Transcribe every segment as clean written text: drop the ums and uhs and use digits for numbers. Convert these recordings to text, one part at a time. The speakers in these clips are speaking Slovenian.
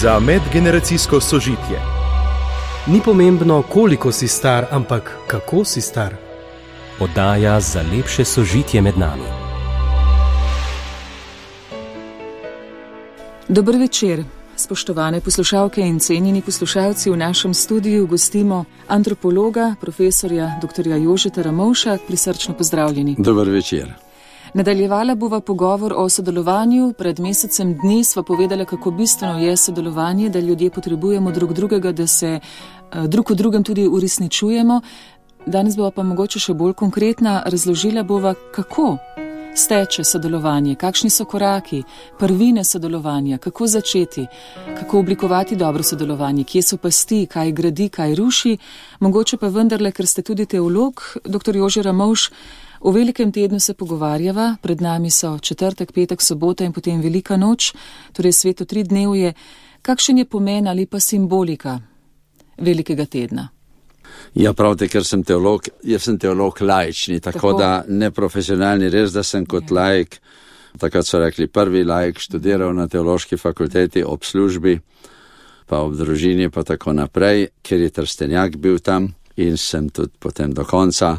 za medgeneracijsko sožitje. Ni pomembno, koliko si star, ampak kako si star. Oddaja za lepše sožitje med nami. Dober večer, spoštovane poslušalke in cenjeni poslušalci. V našem studiu gostimo antropologa, profesorja dr. Jožeta Ramovša. Prisrčno pozdravljeni. Dober večer. Nadaljevala bova pogovor o sodelovanju. Pred mesecem dni sva povedala, kako bistveno je sodelovanje, da ljudje potrebujemo drug drugega, da se drug v drugem tudi uresničujemo. Danes bova pa mogoče še bolj konkretna. Razložila bova, kako steče sodelovanje, kakšni so koraki, prvine sodelovanja, kako začeti, kako oblikovati dobro sodelovanje, kje so pasti, kaj gradi, kaj ruši. Mogoče pa vendarle, ker ste tudi teolog, dr. Jože Ramovš, v velikem tednu se pogovarjava, pred nami so četrtek, petek, sobota in potem velika noč, torej sveto 3-dnevje. Kakšen je pomen ali pa simbolika velikega tedna? Ja, pravite, ker sem teolog, jaz sem teolog laični, tako da neprofesionalni, res, da sem kot laik, takrat so rekli prvi laik, študiral na teološki fakulteti ob službi, pa ob družini, pa tako naprej, ker je Trstenjak bil tam in sem tudi potem do konca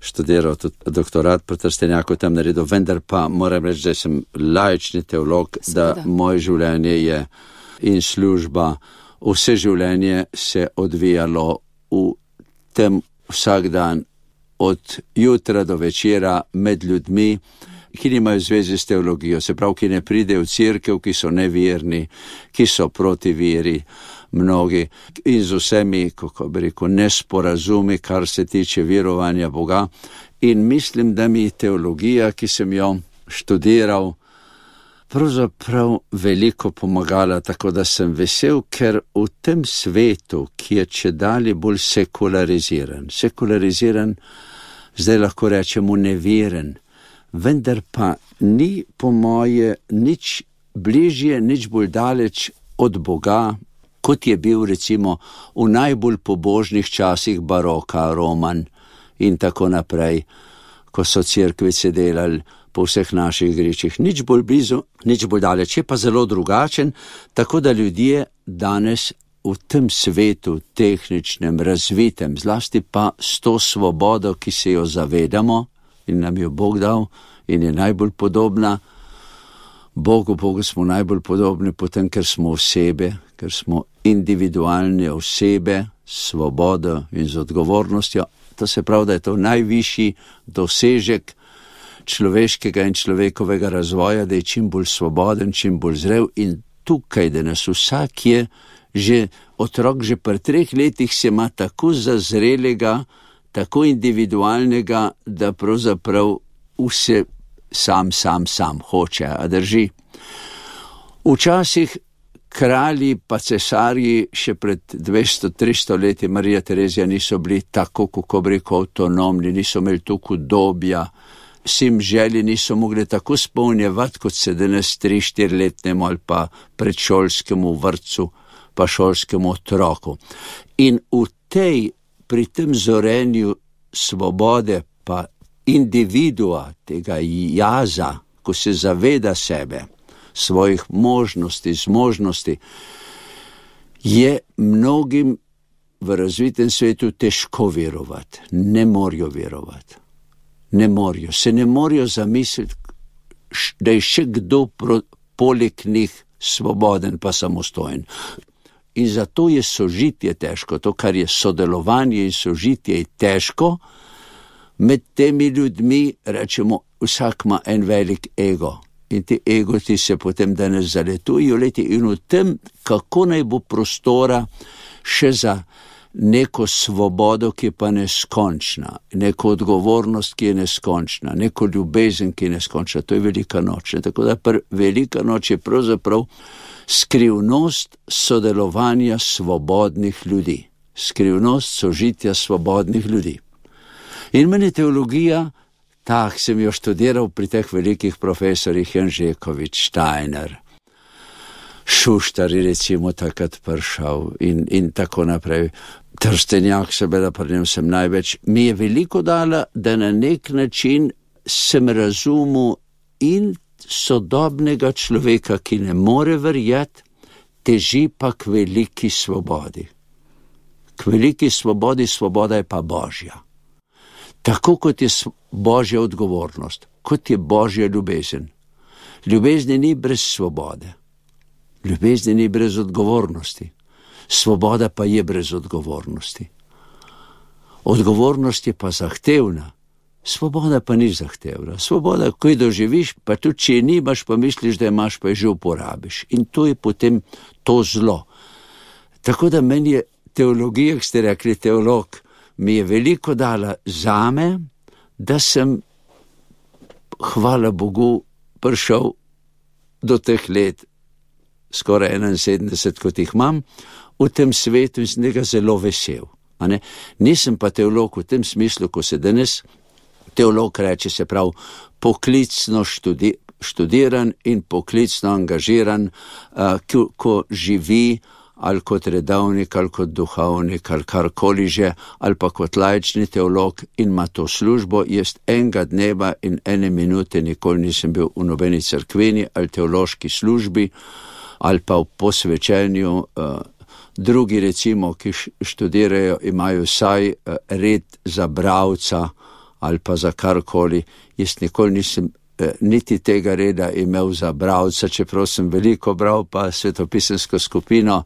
študiral tudi doktorat po Trstenjaku tam naredil, vendar pa moram reči, da sem laični teolog, da moje življenje je in služba, vse življenje se odvijalo v tem vsak dan, od jutra do večera med ljudmi, ki nimajo zveze s teologijo, se pravi, ki ne pridejo v cerkev, ki so neverni, ki so proti veri, mnogi, in z vsemi, kako bi rekel, nesporazumi, kar se tiče verovanja Boga. In mislim, da mi teologija, ki sem jo študiral, pravzaprav veliko pomagala, tako da sem vesel, ker v tem svetu, ki je čedalje bolj sekulariziran, zdaj lahko rečemo neveren, vendar pa ni po moje nič bližje, nič bolj daleč od Boga, kot je bil recimo v najbolj pobožnih časih baroka, Roman in tako naprej, ko so cerkvice delali po vseh naših gričih. Nič bolj blizu, nič bolj daleč, je pa zelo drugačen, tako da ljudje danes v tem svetu tehničnem, razvitem, zlasti pa s to svobodo, ki se jo zavedamo in nam jo Bog dal in je najbolj podobna Bogu smo najbolj podobni potem, ker smo osebe, ker smo individualne osebe, svobodo in z odgovornostjo. To se pravi, da je to najvišji dosežek človeškega in človekovega razvoja, da je čim bolj svoboden, čim bolj zrel in tukaj, da nas vsak je, že otrok že pri 3 letih se ima tako zazrelega, tako individualnega, da pravzaprav vse sam hoče, a drži. Včasih kralji pa cesarji še pred 200-300 leti Marija Terezija niso bili tako, kako bi rekel, avtonomni, niso imeli toliko udobja, vsem želji niso mogli tako spolnjevati, kot se danes 3-4-letnemu ali pa predšolskemu vrtcu, pa šolskemu otroku. In pri tem zorenju svobode pa individua, tega jaza, ko se zaveda sebe, svojih možnosti, zmožnosti, je mnogim v razvitem svetu težko verovati. Ne morajo verovati. Se ne morajo zamisliti, da je še kdo poleg njih svoboden pa samostojen. In zato je sožitje težko, to, kar je sodelovanje in sožitje je težko. Med temi ljudmi, rečemo, vsak ima en velik ego in ti egoti se potem danes zaletujo in v tem, kako naj bo prostora še za neko svobodo, ki je pa neskončna, neko odgovornost, ki je neskončna, neko ljubezen, ki je neskončna, to je velika noč. Tako da velika noč je pravzaprav skrivnost sodelovanja svobodnih ljudi, skrivnost sožitja svobodnih ljudi. In meni teologija, sem jo študiral pri teh velikih profesorjih, Janžekovič, Steiner, Šuštar je recimo takrat prišel in tako naprej. Trstenjak, seveda pri njem sem največ. Mi je veliko dala, da na nek način sem razumel in sodobnega človeka, ki ne more verjeti teži pa k veliki svobodi. K veliki svobodi, svoboda je pa Božja. Tako kot je Božja odgovornost, kot je Božja ljubezen. Ljubezni ni brez svobode. Ljubezni ni brez odgovornosti. Svoboda pa je brez odgovornosti. Odgovornost je pa zahtevna. Svoboda pa ni zahtevna. Svoboda, ko jo doživiš, pa tudi če je nimaš, pa misliš, da imaš, pa jo že uporabiš. In to je potem to zlo. Tako da meni je teologija, ki ste rekli teolog, mi je veliko dala zame, da sem, hvala Bogu, prišel do teh let, skoraj 71, kot jih imam, v tem svetu in sem tega zelo vesel. Nisem pa teolog v tem smislu, ko se danes teolog reče, se pravi, poklicno študiran in poklicno angažiran, ko živi ali kot redovnik, ali kot duhovnik, ali karkoli že, ali pa kot laični teolog in ima to službo. Jaz enega dneva in ene minute nikoli nisem bil v nobeni cerkveni ali teološki službi, ali pa v posvečenju. Drugi recimo, ki študirajo, imajo vsaj red za bralca ali pa za karkoli. Jaz nikoli nisem niti tega reda imel za bralca, čeprav sem veliko bral, pa svetopisemsko skupino,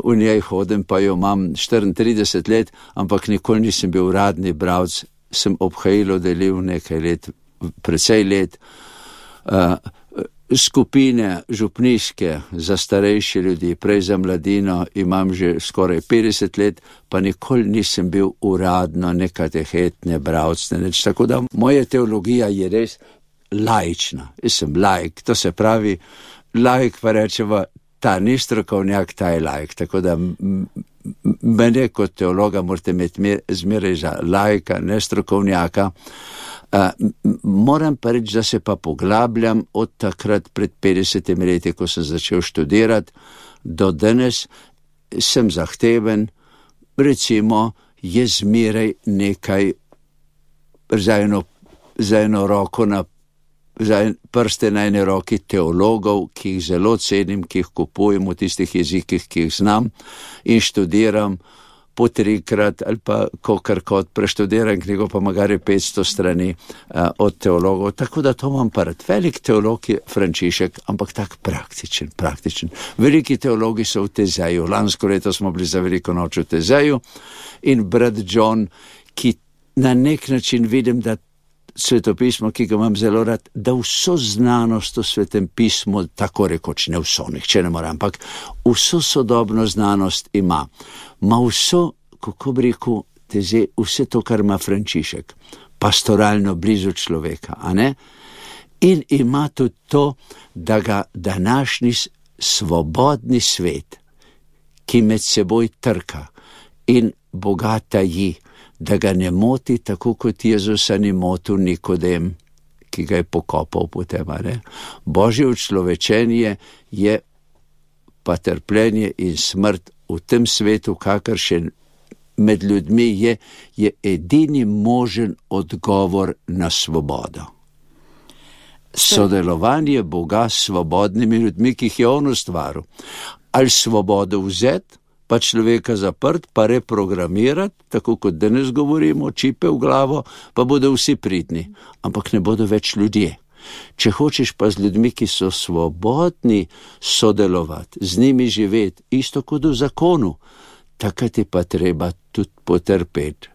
v njej hodim, pa jo imam 34 let, ampak nikoli nisem bil uradni bralc. Sem obhajilo delil nekaj let, precej let, skupine župnijske za starejše ljudi, prej za mladino imam že skoraj 50 let, pa nikoli nisem bil uradno nekatehetne bralcne, nič. Tako da moja teologija je res laična. Jaz sem laik, to se pravi, laik pa rečeva, ta ni strokovnjak, ta je laik. Tako da mene kot teologa morate imeti zmeraj za laika, ne strokovnjaka. Moram pa reči, da se pa poglabljam od takrat pred 50 leti, ko sem začel študirati, do danes sem zahteven, recimo je zmeraj nekaj za eno roko za prste na ene roki teologov, ki jih zelo cenim, ki jih kupujem v tistih jezikih, ki jih znam in študiram po 3-krat ali pa kokarkot preštudiram knjigo, pa magari 500 strani od teologov. Tako da to imam pa rad. Velik teolog je Frančišek, ampak tak praktičen. Veliki teologi so v Tezeju. Lansko leto smo bili za veliko noč v Tezeju in brat John, ki na nek način vidim, da svetopismo, ki ga imam zelo rad, da vso znanost v svetem pismu, tako rekoč ne vso, nihče ne mora, ampak vso sodobno znanost ima. Ma vso, kako bi rekel, vse to, kar ima Frančišek, pastoralno blizu človeka, a ne? In ima tudi to, da ga današnji svobodni svet, ki med seboj trka in Boga taji, da ga ne moti tako, kot Jezusa ni motil Nikodem, ki ga je pokopal potem, ne? Božje učlovečenje je pa trpljenje in smrt v tem svetu, kakršen med ljudmi je edini možen odgovor na svobodo. Sodelovanje Boga s svobodnimi ljudmi, ki jih je on ustvaril. Ali svobodo vzeti, pa človeka zaprt, pa reprogramirati, tako kot danes govorimo, čipe v glavo, pa bodo vsi pridni, ampak ne bodo več ljudje. Če hočeš pa z ljudmi, ki so svobodni, sodelovati, z njimi živeti, isto kot v zakonu, takrat je pa treba tudi potrpeti.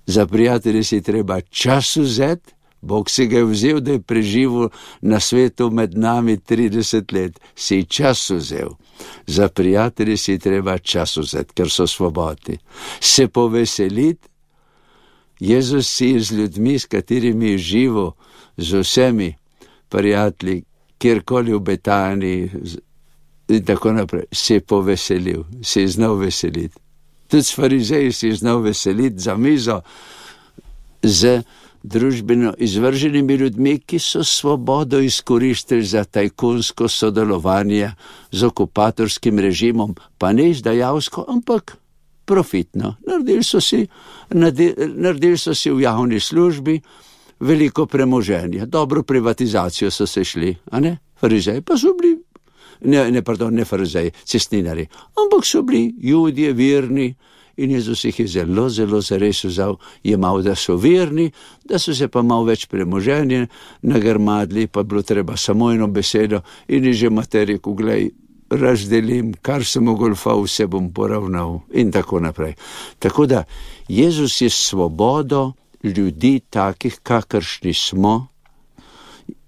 Za prijatelje si treba čas vzeti, Bog si ga je vzel, da je preživel na svetu med nami 30 let, si čas vzel. Za prijatelje si treba čas vzeti, ker so svobodni. Se poveseliti, Jezus si z ljudmi, s katerimi je živel, z vsemi prijatelji, kjerkoli v Betaniji in tako naprej, se je poveselil, se je znal veseliti. Tudi s farizeji si je znal veseliti za mizo z družbeno izvrženimi ljudmi, ki so svobodo izkoristili za tajkunsko sodelovanje z okupatorskim režimom, pa ne izdajalsko, ampak profitno. Naredili so si v javni službi veliko premoženja, dobro privatizacijo so se šli, a ne? Farizeji pa so bili ne farizeji, cestninari, ampak so bili Judje, verni, in Jezus jih je zelo, zelo zares jemal, da so verni, da so se pa malo več premoženja nagrmadli, pa bilo treba samo eno besedo in je že mater rekel, glej, razdelim, kar sem ogolfal, vse bom poravnal in tako naprej. Tako da Jezus je svobodo ljudi takih, kakršni smo.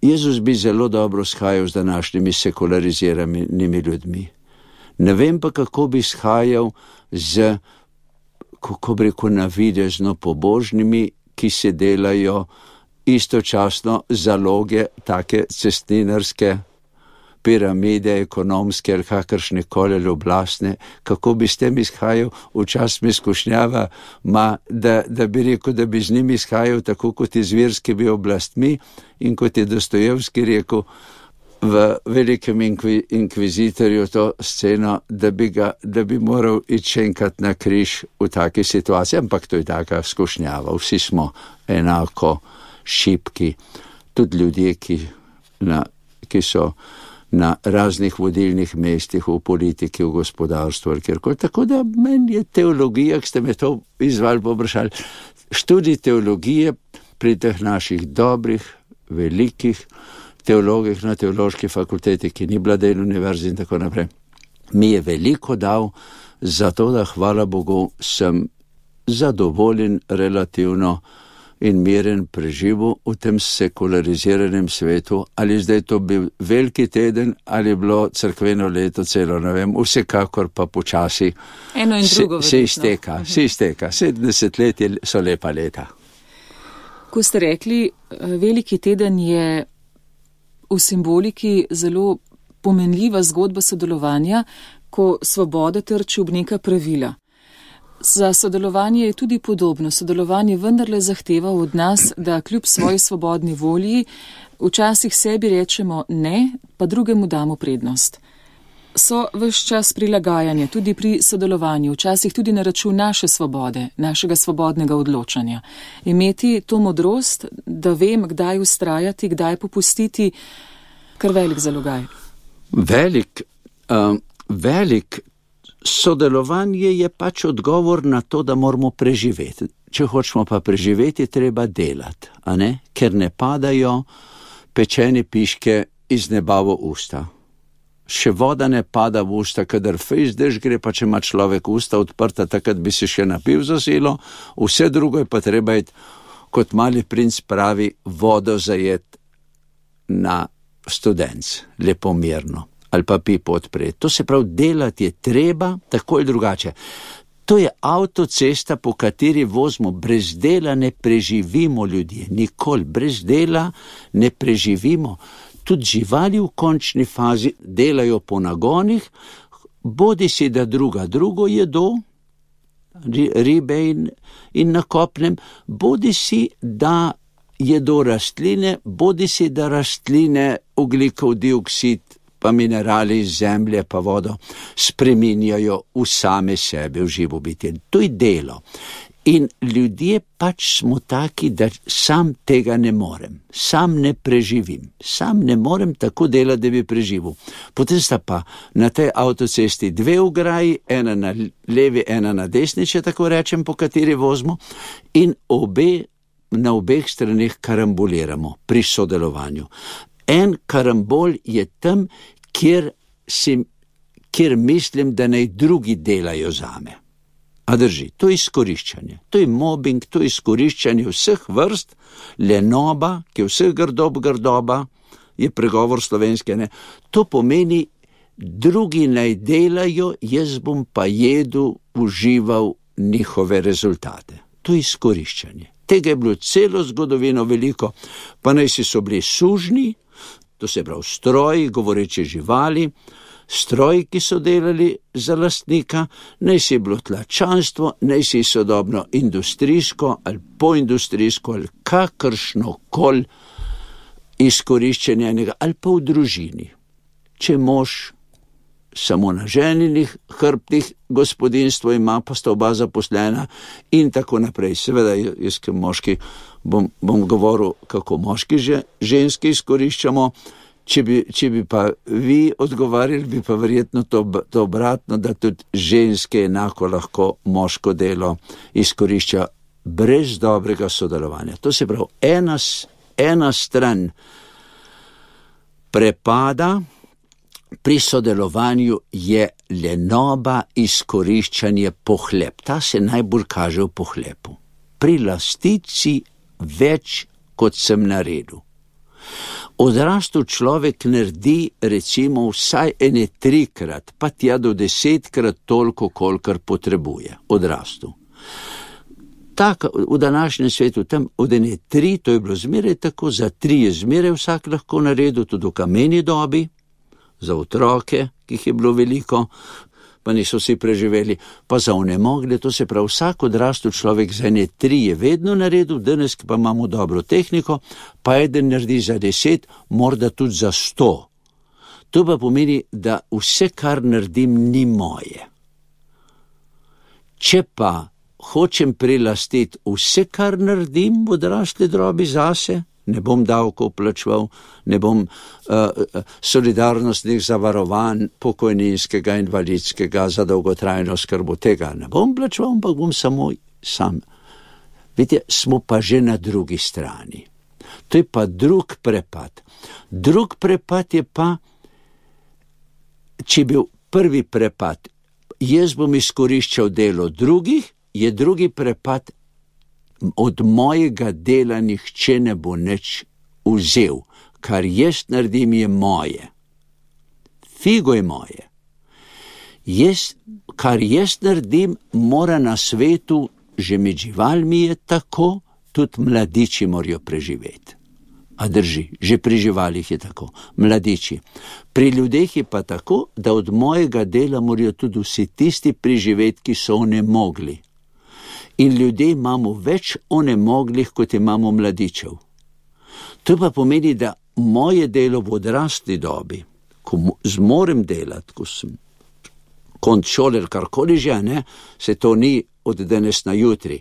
Jezus bi zelo dobro shajal z današnjimi sekulariziranimi ljudmi. Ne vem pa, kako bi shajal z, kako bi rekel, navidezno pobožnimi, ki se delajo istočasno zaloge take cestninarske piramide, ekonomske ali kakršne koli oblastne, kako bi s tem izhajal, včasih me skušnjava, da bi rekel, da bi z njimi izhajal tako kot iz verskimi oblastmi in kot je Dostojevski rekel v Velikem inkvizitorju to sceno, da bi moral iti še enkrat na križ v taki situaciji, ampak to je taka skušnjava. Vsi smo enako šibki, tudi ljudje, ki so na raznih vodilnih mestih v politiki, v gospodarstvu ali kjerkoli. Tako da meni je teologija, ki ste me to izvali poprašali, študij teologije pri teh naših dobrih, velikih teologih na teološki fakulteti, ki ni bila del univerzi in tako naprej, mi je veliko dal, zato da, hvala Bogu, sem zadovoljen relativno in miren preživel v tem sekulariziranem svetu, ali zdaj to bil veliki teden, ali je bilo cerkveno leto celo, ne vem, vsekakor pa počasi eno in drugo se izteka, 70 let so lepa leta. Ko ste rekli, veliki teden je v simboliki zelo pomenljiva zgodba sodelovanja, ko svoboda trči ob neka pravila. Za sodelovanje je tudi podobno. Sodelovanje vendarle zahteva od nas, da kljub svoji svobodni volji včasih sebi rečemo ne, pa drugemu damo prednost. So ves čas prilagajanja, tudi pri sodelovanju, včasih tudi na račun naše svobode, našega svobodnega odločanja. Imeti to modrost, da vem, kdaj vztrajati, kdaj popustiti, kar velik zalogaj. Velik sodelovanje je pač odgovor na to, da moramo preživeti. Če hočemo pa preživeti, treba delati, a ne? Ker ne padajo pečene piške iz neba v usta. Še voda ne pada v usta, kadar fejs dež gre, pa če ima človek usta odprta, takrat bi se še napil za silo, vse drugo je pa treba iti, kot Mali princ pravi, vodo zajet na studenc, lepo mirno, ali pa pipo odpreti. To se pravi, delati je treba, tako ali drugače. To je avtocesta, po kateri vozimo. Brez dela ne preživimo ljudje, nikoli. Brez dela ne preživimo. Tudi živali v končni fazi delajo po nagonih, bodi si da drugo jedo, ribe in na kopnem, bodi si da jedo rastline, bodi si da rastline ogljikov dioksid pa minerali iz zemlje pa vodo spreminjajo v same sebe, v živo bitje. To je delo. In ljudje pač smo taki, da sam tega ne morem, sam ne preživim, sam ne morem tako delati, da bi preživel. Potem sta pa na tej avtocesti dve ograji, ena na levi, ena na desni, če tako rečem, po kateri vozimo, in na obeh straneh karamboliramo pri sodelovanju. En karambol je tam, kjer mislim, da naj drugi delajo zame. A drži, to je izkoriščanje, to je mobbing, to je izkoriščanje vseh vrst, lenoba, ki je vseh grdoba, je pregovor slovenske, ne? To pomeni, drugi naj delajo, jaz bom pa jedel, užival njihove rezultate. To je izkoriščanje. Tega je bilo celo zgodovino veliko, pa naj so bili sužnji, to se pravi stroji, govoreče živali, stroji, ki so delali za lastnika, naj si bilo tlačanstvo, naj si sodobno industrijsko ali poindustrijsko ali kakršno koli izkoriščenje enega, ali pa v družini. Če mož samo na ženinih hrbtih gospodinstvo ima, pa sta oba zaposlena in tako naprej. Seveda, jaz kot moški bom govoril, kako moški že ženski izkoriščamo. Če bi pa vi odgovarjali, bi pa verjetno to obratno, da tudi ženske enako lahko moško delo izkorišča brez dobrega sodelovanja. To se pravi, ena stran prepada pri sodelovanju je lenoba, izkoriščanje, pohlep. Ta se najbolj kaže v pohlepu. Pri lastici več, kot sem naredil. Odrastel človek naredi recimo vsaj 3-krat, pa tja do 10-krat toliko, kolikor potrebuje. Odrastel. Tak, v današnjem svetu, tam od 3, to je bilo zmeraj tako, za 3 je zmeraj vsak lahko naredil, tudi v kameni dobi, za otroke, ki jih je bilo veliko, pa niso vsi preživeli, pa za onemogle, to se pravi, vsak odrastel človek za 3 je vedno naredil, danes pa imamo dobro tehniko, pa eden naredi za 10, morda tudi za 100. To pa pomeni, da vse, kar naredim, ni moje. Če pa hočem prilastiti vse, kar naredim v odrasli drobi zase, ne bom davkov plačeval, ne bom solidarnostnih zavarovanj, pokojninskega, invalidskega, za dolgotrajno skrbo, tega ne bom plačeval, ampak bom samo sam. Vidite, smo pa že na drugi strani. To je pa drug prepad. Drug prepad je pa, če bil prvi prepad, jaz bom izkoriščal delo drugih, je drugi prepad, od mojega dela nihče ne bo nič vzel, kar jaz naredim je moje. Figo je moje. Kar jaz naredim, mora na svetu, že med živalmi je tako, tudi mladiči morajo preživeti. A drži, že pri živalih je tako, mladiči. Pri ljudeh je pa tako, da od mojega dela morajo tudi vsi tisti preživeti, ki so onemogli. In ljudje imamo več onemoglih, kot imamo mladičev. To pa pomeni, da moje delo v odrasli dobi, ko zmorem delati, ko sem konc šoler, karkoli že, ne, se to ni od danes na jutri,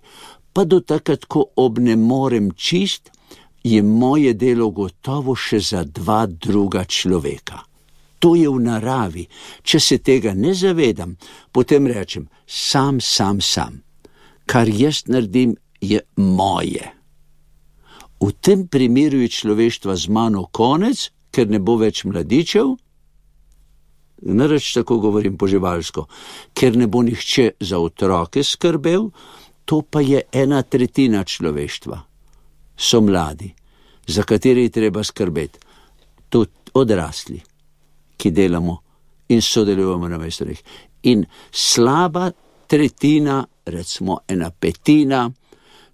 pa do takrat, ko obnemorem čist, je moje delo gotovo še za 2 druga človeka. To je v naravi. Če se tega ne zavedam, potem rečem, sam. Kar jaz naredim, je moje. V tem primeru je človeštva z mano konec, ker ne bo več mladičev, nareč tako govorim po živalsko, ker ne bo nihče za otroke skrbel, to pa je 1/3 človeštva. So mladi, za kateri je treba skrbeti. Tudi odrasli, ki delamo in sodelujemo na mestu. In slaba tretjina, recimo 1/5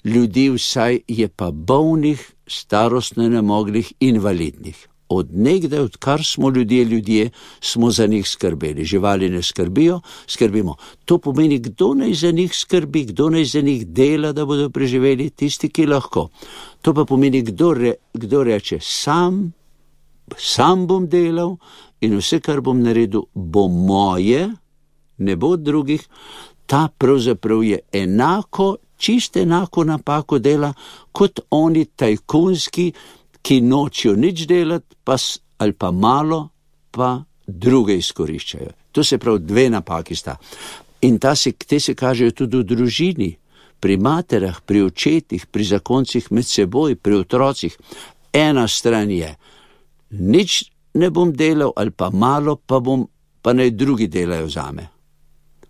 ljudi vsaj je pa bolnih, starostno nemoglih, invalidnih. Od nekdaj, odkar smo ljudje, smo za njih skrbeli. Živali ne skrbimo. To pomeni, kdo naj za njih skrbi, kdo naj za njih dela, da bodo preživeli, tisti, ki lahko. To pa pomeni, kdo reče, sam bom delal in vse, kar bom naredil, bo moje, ne bo od drugih. Ta pravzaprav je čisto enako napako dela, kot oni tajkunski, ki nočijo nič delati, ali pa malo, pa druge izkoriščajo. To se pravi, 2 napaki sta. In te se kažejo tudi v družini, pri materah, pri očetih, pri zakoncih med seboj, pri otrocih. Ena stran je, nič ne bom delal, ali pa malo, pa naj drugi delajo zame.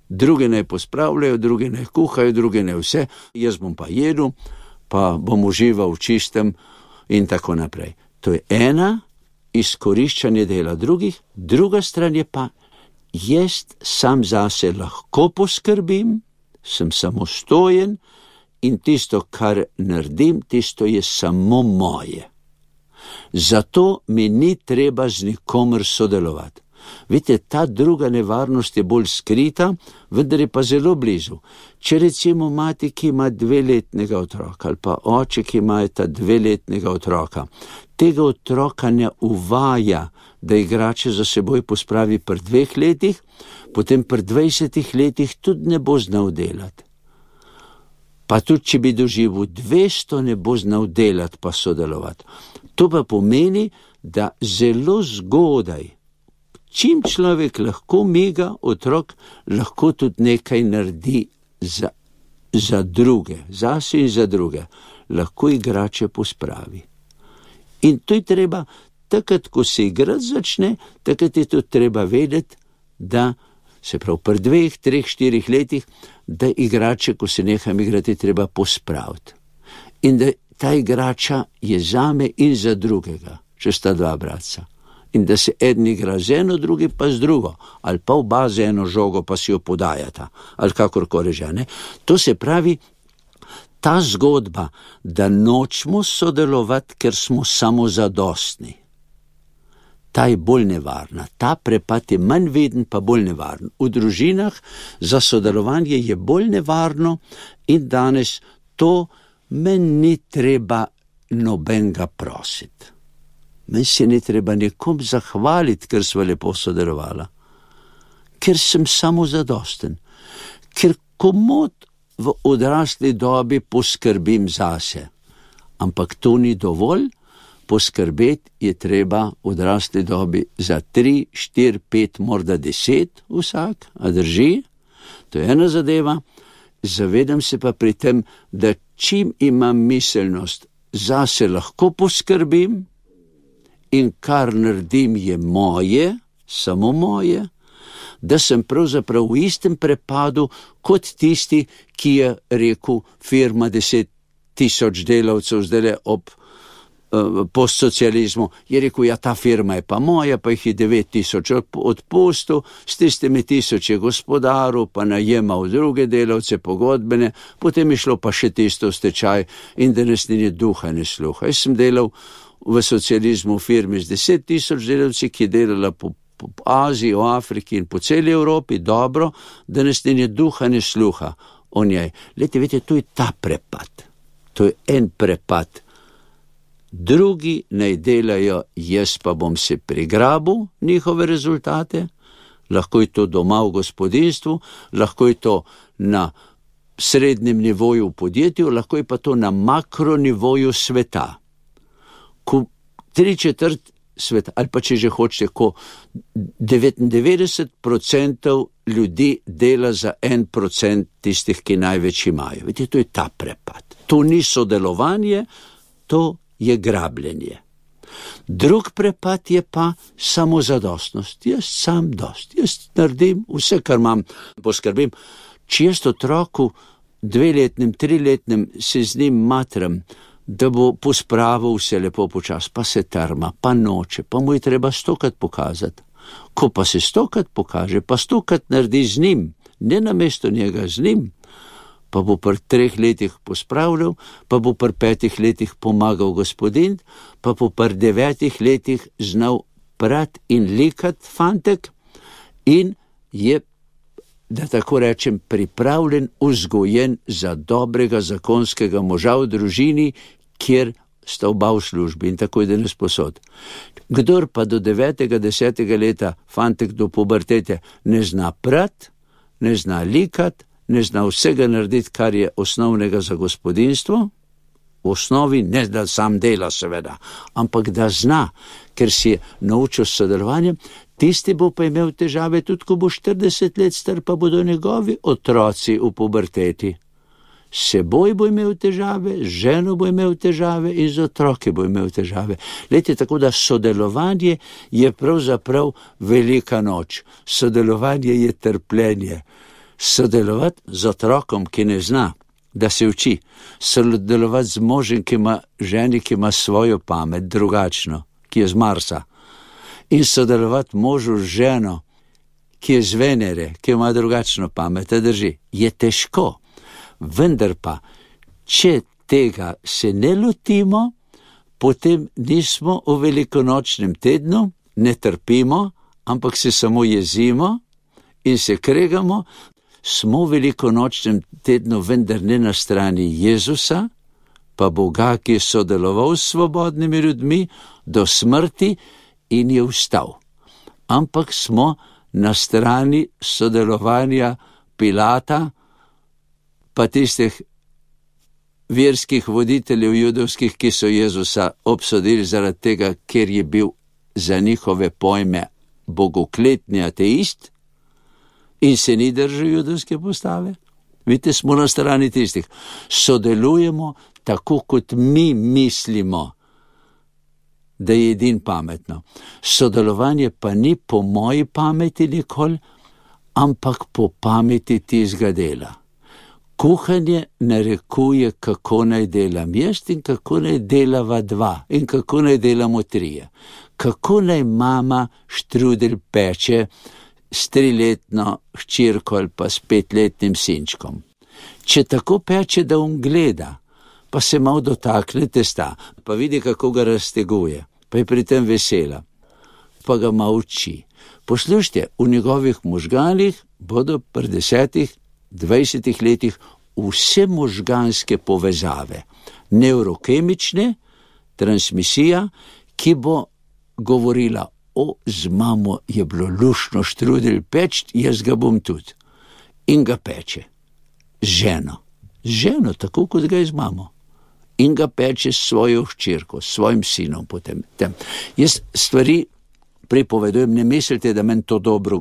Druge naj pospravljajo, druge naj kuhajo, druge naj vse, jaz bom pa jedel, pa bom užival v čistem in tako naprej. To je ena, izkoriščanje dela drugih, druga stran je pa, jaz sam zase lahko poskrbim, sem samostojen in tisto, kar naredim, tisto je samo moje. Zato mi ni treba z nikomer sodelovati. Vidite, ta druga nevarnost je bolj skrita, vendar je pa zelo blizu. Če recimo mati, ki ima 2-letnega otroka, ali pa oče, ki ima 2-letnega otroka, tega otroka ne uvaja, da igrače za seboj pospravi pri 2 letih, potem pri 20 letih tudi ne bo znal delati. Pa tudi, če bi doživel 200, ne bo znal delati pa sodelovati. To pa pomeni, da zelo zgodaj, čim človek lahko miga, otrok lahko tudi nekaj naredi za druge, zase in za druge, lahko igrače pospravi. In to je treba, takrat, ko se igrati začne, takrat je to treba vedeti, da se prav pri 2, 3, 4 letih, da igrače, ko se neham igrati, treba pospraviti. In da ta igrača je zame in za drugega, če sta 2 bratca. In da se eden igra z eno, drugi pa z drugo, ali pa oba z eno žogo, pa si jo podajata, ali kakorkoli že, ne. To se pravi, ta zgodba, da nočemo sodelovati, ker smo samozadostni, ta je bolj nevarna. Ta prepad je manj veden, pa bolj nevaren. V družinah za sodelovanje je bolj nevarno in danes to meni ni treba nobenega prositi. Meni se ni treba nekom zahvaliti, ker sva lepo sodelovala. Ker sem samozadosten. Ker komot v odrasli dobi poskrbim zase. Ampak to ni dovolj. Poskrbeti je treba v odrasli dobi za 3, 4, 5, morda 10 vsak, a drži? To je ena zadeva. Zavedam se pa pri tem, da čim imam miselnost, zase lahko poskrbim in kar naredim je moje, samo moje, da sem pravzaprav v istem prepadu kot tisti, ki je rekel, firma 10,000 delavcev zdaj ob postsocializmu, je rekel, ja, ta firma je pa moja, pa jih je 9,000 odpustil, s tistimi 1000 je gospodaril, pa najemal druge delavce, pogodbene, potem je šlo pa še tisto v stečaj in danes ni duha, ne sluha. Jaz sem delal v socializmu v firmi z 10,000 delavci, ki je delala po Aziji, v Afriki in po celi Evropi, dobro, danes ni duha, ne sluha o njej. Vidite, to je ta prepad. To je en prepad. Drugi naj delajo, jaz pa bom se prigrabil njihove rezultate, lahko je to doma v gospodinstvu, lahko je to na srednjem nivoju v podjetju, lahko je pa to na makronivoju sveta. Ko 3/4 sveta, ali pa če že hočete, ko 99% ljudi dela za 1% tistih, ki največ imajo. Vidite, to je ta prepad. To ni sodelovanje, to je grabljenje. Drug prepad je pa samozadostnost. Jaz sam dost. Jaz naredim vse, kar imam, poskrbim. Če jaz otroku 2-letnem, 3-letnem se z njim matram, da bo pospravil vse lepo počas, pa se trma, pa noče, pa mu je treba 100-krat pokazati. Ko pa se 100-krat pokaže, pa 100-krat naredi z njim, ne namesto njega, z njim, pa bo pri 3 letih pospravljal, pa bo pri 5 letih pomagal gospodin, pa bo pri 9 letih znal prati in likati fantek in je, da tako rečem, pripravljen, vzgojen za dobrega zakonskega moža v družini, kjer sta oba v službi in tako je danes posod. Kdor pa do 9. 10. leta fantek do pubertete ne zna prati, ne zna likati, ne zna vsega narediti, kar je osnovnega za gospodinstvo, v osnovi ne da sam dela seveda, ampak da zna, ker si je naučil sodelovanje, tisti bo pa imel težave tudi, ko bo 40 let star, pa bodo njegovi otroci v puberteti. S seboj bo imel težave, z ženo bo imel težave in z otroki bo imel težave. Lejte, tako da sodelovanje je pravzaprav velika noč. Sodelovanje je trpljenje. Sodelovati z otrokom, ki ne zna, da se uči. Sodelovati z možem, ki ima ženi, ki ima svojo pamet, drugačno, ki je z Marsa. In sodelovati možu z ženo, ki je z Venere, ki ima drugačno pamet, da drži. Je težko. Vendar pa, če tega se ne lotimo, potem nismo v velikonočnem tednu, ne trpimo, ampak se samo jezimo in se kregamo, smo v velikonočnem tednu vendar ne na strani Jezusa, pa Boga, ki je sodeloval s svobodnimi ljudmi do smrti in je vstal. Ampak smo na strani sodelovanja Pilata, pa tistih verskih voditeljev judovskih, ki so Jezusa obsodili zaradi tega, ker je bil za njihove pojme bogokletni ateist in se ni držal judovske postave. Vidite, smo na strani tistih. Sodelujemo tako, kot mi mislimo, da je edin pametno. Sodelovanje pa ni po moji pameti nikoli, ampak po pameti tistega dela. Kuhanje narekuje, kako naj delam jaz in kako naj delava dva in kako naj delamo trije. Kako naj mama štrudel peče s 3-letno hčerko ali pa s 5-letnim sinčkom. Če tako peče, da on gleda, pa se malo dotakne testa, pa vidi, kako ga razteguje, pa je pri tem vesela, pa ga malo uči. Poslušajte, v njegovih možganih bodo pri 10-20 letih vse možganske povezave, neurokemične, transmisija, ki bo govorila, z mamo je bilo luštno štrudel peč, jaz ga bom tudi. In ga peče. Z ženo, tako kot ga je z mamo. In ga peče s svojo hčerko, s svojim sinom potem. Jaz stvari pripovedujem, ne mislite, da meni to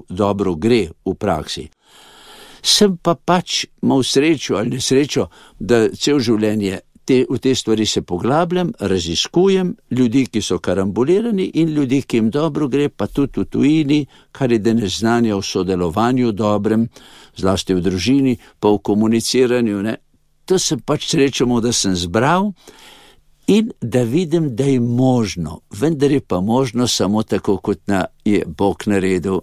dobro gre v praksi. Sem pa pač imel srečo ali nesrečo, da cel življenje v te stvari se poglabljam, raziskujem ljudi, ki so karambolirani in ljudi, ki jim dobro gre, pa tudi v tujini, kar je danes znanja o sodelovanju dobrem, zlasti v družini, pa v komuniciranju. Ne. To sem pač srečo, da sem zbral in da vidim, da je možno, vendar je pa možno samo tako, kot je Bog naredil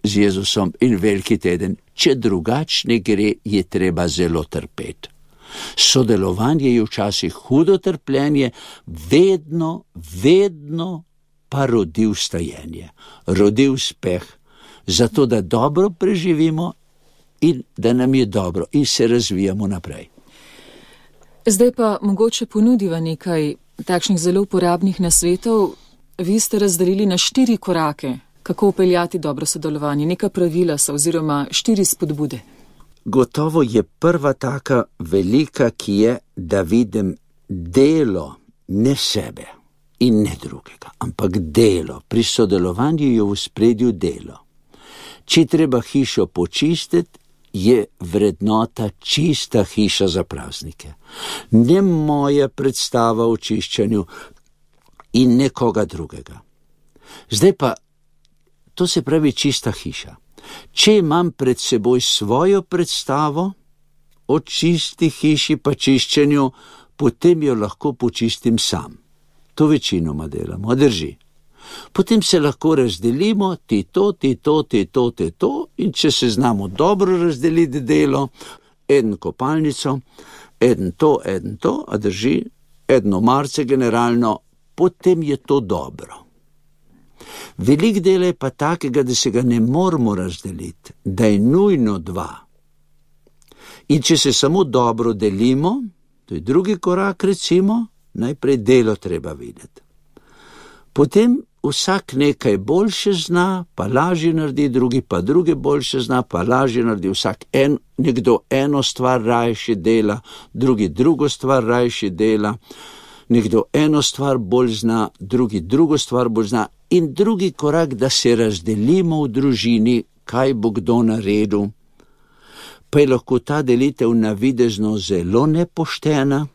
z Jezusom in veliki teden. Če drugačne gre, je treba zelo trpeti. Sodelovanje je včasih hudo trpljenje, vedno pa rodi vstajenje, rodi uspeh, zato da dobro preživimo in da nam je dobro in se razvijamo naprej. Zdaj pa mogoče ponudiva nekaj takšnih zelo uporabnih nasvetov. Vi ste razdelili na 4 korake, kako upeljati dobro sodelovanje, neka pravila so oziroma 4 spodbude. Gotovo je prva taka velika, ki je, da vidim delo, ne sebe in ne drugega, ampak delo. Pri sodelovanju je v ospredju delo. Če treba hišo počistiti, je vrednota čista hiša za praznike. Ne moja predstava o čiščenju in nekoga drugega. Zdaj pa, to se pravi čista hiša. Če imam pred seboj svojo predstavo o čisti hiši pa čiščenju, potem jo lahko počistim sam. To večinoma delamo, drži. Potem se lahko razdelimo, ti to, in če se znamo dobro razdeliti delo, eden kopalnico, eden to, a drži, eno marce generalno, potem je to dobro. Velik del je pa takega, da se ga ne moramo razdeliti, da je nujno 2. In če se samo dobro delimo, to je drugi korak, recimo, najprej delo treba videti. Potem vsak nekaj boljše zna, pa lažje naredi, drugi pa druge boljše zna, pa lažje naredi. Nekdo eno stvar rajši dela, drugi drugo stvar rajši dela, nekdo eno stvar bolj zna, drugi drugo stvar bolj zna. In drugi korak, da se razdelimo v družini, kaj bo kdo naredil, pa je lahko ta delitev navidezno zelo nepoštena.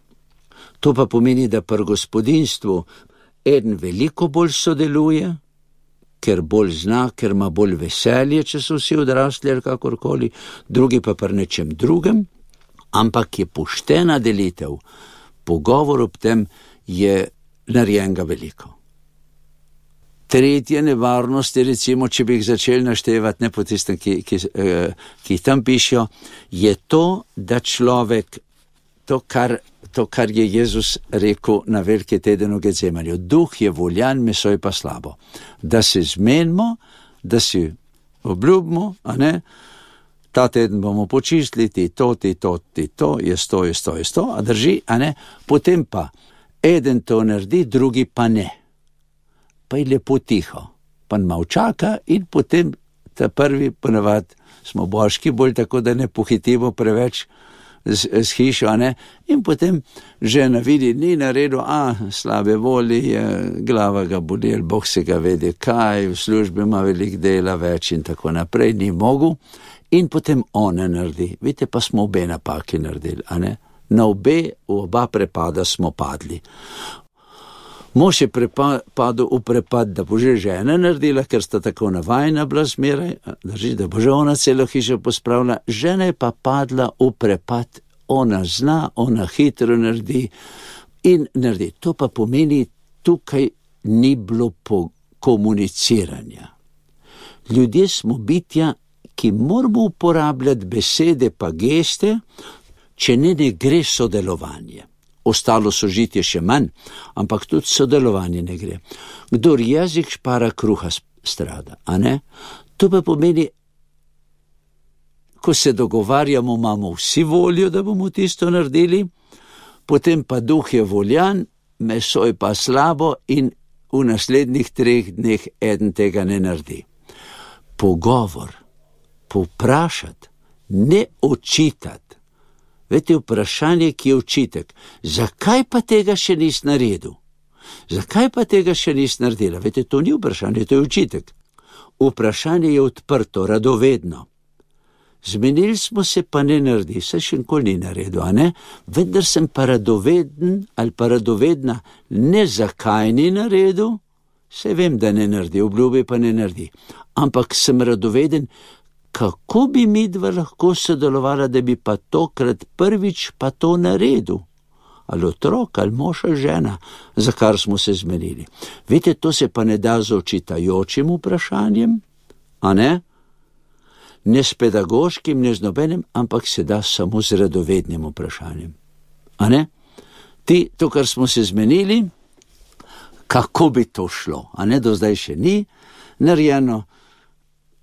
To pa pomeni, da pri gospodinjstvu eden veliko bolj sodeluje, ker bolj zna, ker ima bolj veselje, če so vsi odrasli ali kakorkoli, drugi pa pri nečem drugem, ampak je poštena delitev. Pogovor ob tem je narejenega veliko. Tretja nevarnost je, recimo, če bi jih začeli naštevati, ne po tistem, ki tam pišejo, je to, da človek, to, kar je Jezus rekel na veliki teden v Getsemaniju, duh je voljan, meso je pa slabo. Da se zmenimo, da si obljubimo, a ne, ta teden bomo počistili, ti to, je to, a drži, a ne, potem pa eden to naredi, drugi pa ne. Pa je lepo tiho, pa malo čaka in potem ta prvi ponavadi smo božki bolj tako, da ne pohitimo preveč s hišo, ne? In potem žena vidi, ni naredil, slabe volje, glava ga boli, Bog se ga vede kaj, v službi ima veliko dela več in tako naprej, ni mogel. In potem ona naredi. Vidite, pa smo obe napake naredili, a ne? Na oba prepada smo padli. Mož je padel v prepad, da bo že žena naredila, ker sta tako navajena bila zmeraj, da bo že ona celo hišo pospravila. Žena je pa padla v prepad, ona zna, ona hitro naredi in naredi. To pa pomeni, tukaj ni bilo komuniciranja. Ljudje smo bitja, ki moramo uporabljati besede pa geste, če ne gre sodelovanje. Ostalo sožitje še manj, ampak tudi sodelovanje ne gre. Kdor jezik špara, kruha strada, a ne? To pa pomeni, ko se dogovarjamo, imamo vsi voljo, da bomo tisto naredili, potem pa duh je voljan, meso je pa slabo in v naslednjih 3 dneh eden tega ne naredi. Pogovor, povprašati, ne očitati. Vete, vprašanje, ki je očitek, zakaj pa tega še nisi naredil? Zakaj pa tega še nisi naredila? Vete, to ni vprašanje, to je očitek. Vprašanje je odprto, radovedno. Zmenili smo se, pa ne naredi, se še nikoli ni naredil, a ne? Vendar sem pa radoveden ali pa radovedna, ne zakaj ni naredil, se vem, da ne naredi, obljubi pa ne naredi, ampak sem radoveden, kako bi midva lahko sodelovala, da bi pa tokrat prvič pa to naredil. Ali otrok, ali mož, ali žena, za kar smo se zmenili. Vidite, to se pa ne da z očitajočim vprašanjem, a ne? Ne s pedagoškim, ne z nobenim, ampak se da samo z radovednim vprašanjem. A ne? To, kar smo se zmenili, kako bi to šlo, a ne, do zdaj še ni narejeno,